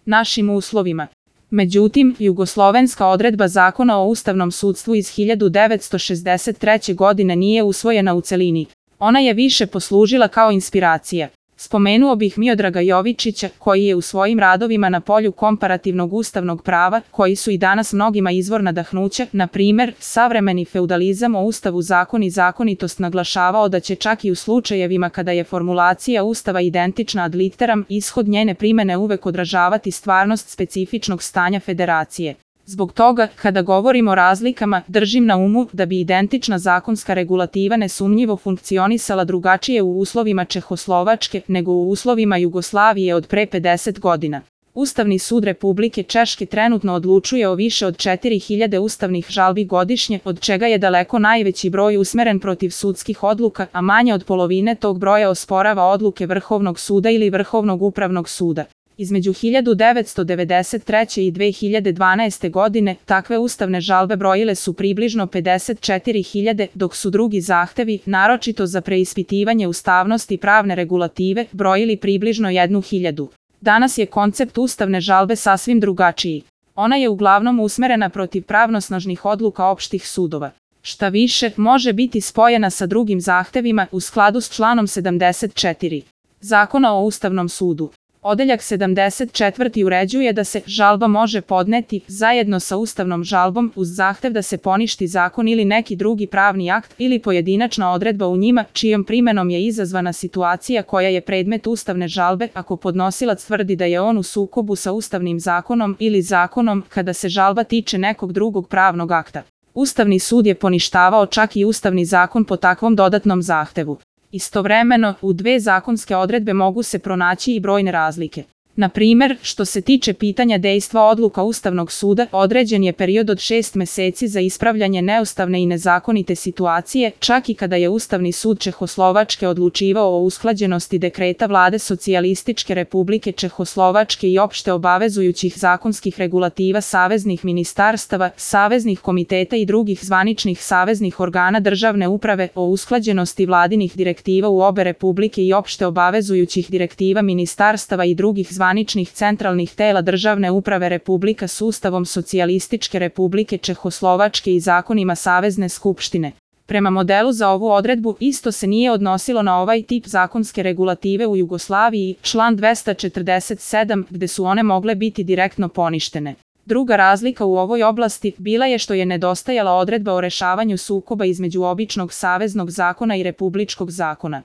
našim uslovima. Međutim, jugoslovenska odredba Zakona o ustavnom sudstvu iz 1963. godine nije usvojena u celini. Ona je više poslužila kao inspiracija. Spomenuo bih Miodraga Jovičića, koji je u svojim radovima na polju komparativnog ustavnog prava, koji su i danas mnogima izvor nadahnuća, na primer, savremeni feudalizam o ustavu zakon i zakonitost, naglašavao da će čak i u slučajevima kada je formulacija ustava identična ad literam, ishod njene primene uvek odražavati stvarnost specifičnog stanja federacije. Zbog toga, kada govorimo o razlikama, držim na umu da bi identična zakonska regulativa nesumnjivo funkcionisala drugačije u uslovima Čehoslovačke nego u uslovima Jugoslavije od pre 50 godina. Ustavni sud Republike Češke trenutno odlučuje o više od 4000 ustavnih žalbi godišnje, od čega je daleko najveći broj usmeren protiv sudskih odluka, a manje od polovine tog broja osporava odluke Vrhovnog suda ili Vrhovnog upravnog suda. Između 1993. i 2012. godine takve ustavne žalbe brojile su približno 54.000, dok su drugi zahtevi, naročito za preispitivanje ustavnosti pravne regulative, brojili približno 1.000. Danas je koncept ustavne žalbe sasvim drugačiji. Ona je uglavnom usmerena protiv pravnosnažnih odluka opštih sudova. Šta više, može biti spojena sa drugim zahtevima u skladu s članom 74. Zakona o Ustavnom sudu. Odeljak 74. uređuje da se žalba može podneti zajedno sa ustavnom žalbom uz zahtev da se poništi zakon ili neki drugi pravni akt ili pojedinačna odredba u njima čijom primenom je izazvana situacija koja je predmet ustavne žalbe ako podnosilac tvrdi da je on u sukobu sa ustavnim zakonom ili zakonom kada se žalba tiče nekog drugog pravnog akta. Ustavni sud je poništavao čak i ustavni zakon po takvom dodatnom zahtevu. Istovremeno, u dve zakonske odredbe mogu se pronaći i brojne razlike. Na primer, što se tiče pitanja dejstva odluka Ustavnog suda, određen je period od 6 meseci za ispravljanje neustavne i nezakonite situacije, čak i kada je Ustavni sud Čehoslovačke odlučivao o usklađenosti dekreta Vlade Socijalističke Republike Čehoslovačke i opšte obavezujućih zakonskih regulativa saveznih ministarstava, saveznih komiteta i drugih zvaničnih saveznih organa državne uprave o usklađenosti vladinih direktiva u obe republike i opšte obavezujućih direktiva ministarstava i drugih zvaničnih centralnih tela državne uprave republika s Ustavom Socijalističke Republike Čehoslovačke i zakonima Savezne skupštine. Prema modelu za ovu odredbu isto se nije odnosilo na ovaj tip zakonske regulative u Jugoslaviji, član 247, gde su one mogle biti direktno poništene. Druga razlika u ovoj oblasti bila je što je nedostajala odredba o rešavanju sukoba između običnog saveznog zakona i republičkog zakona.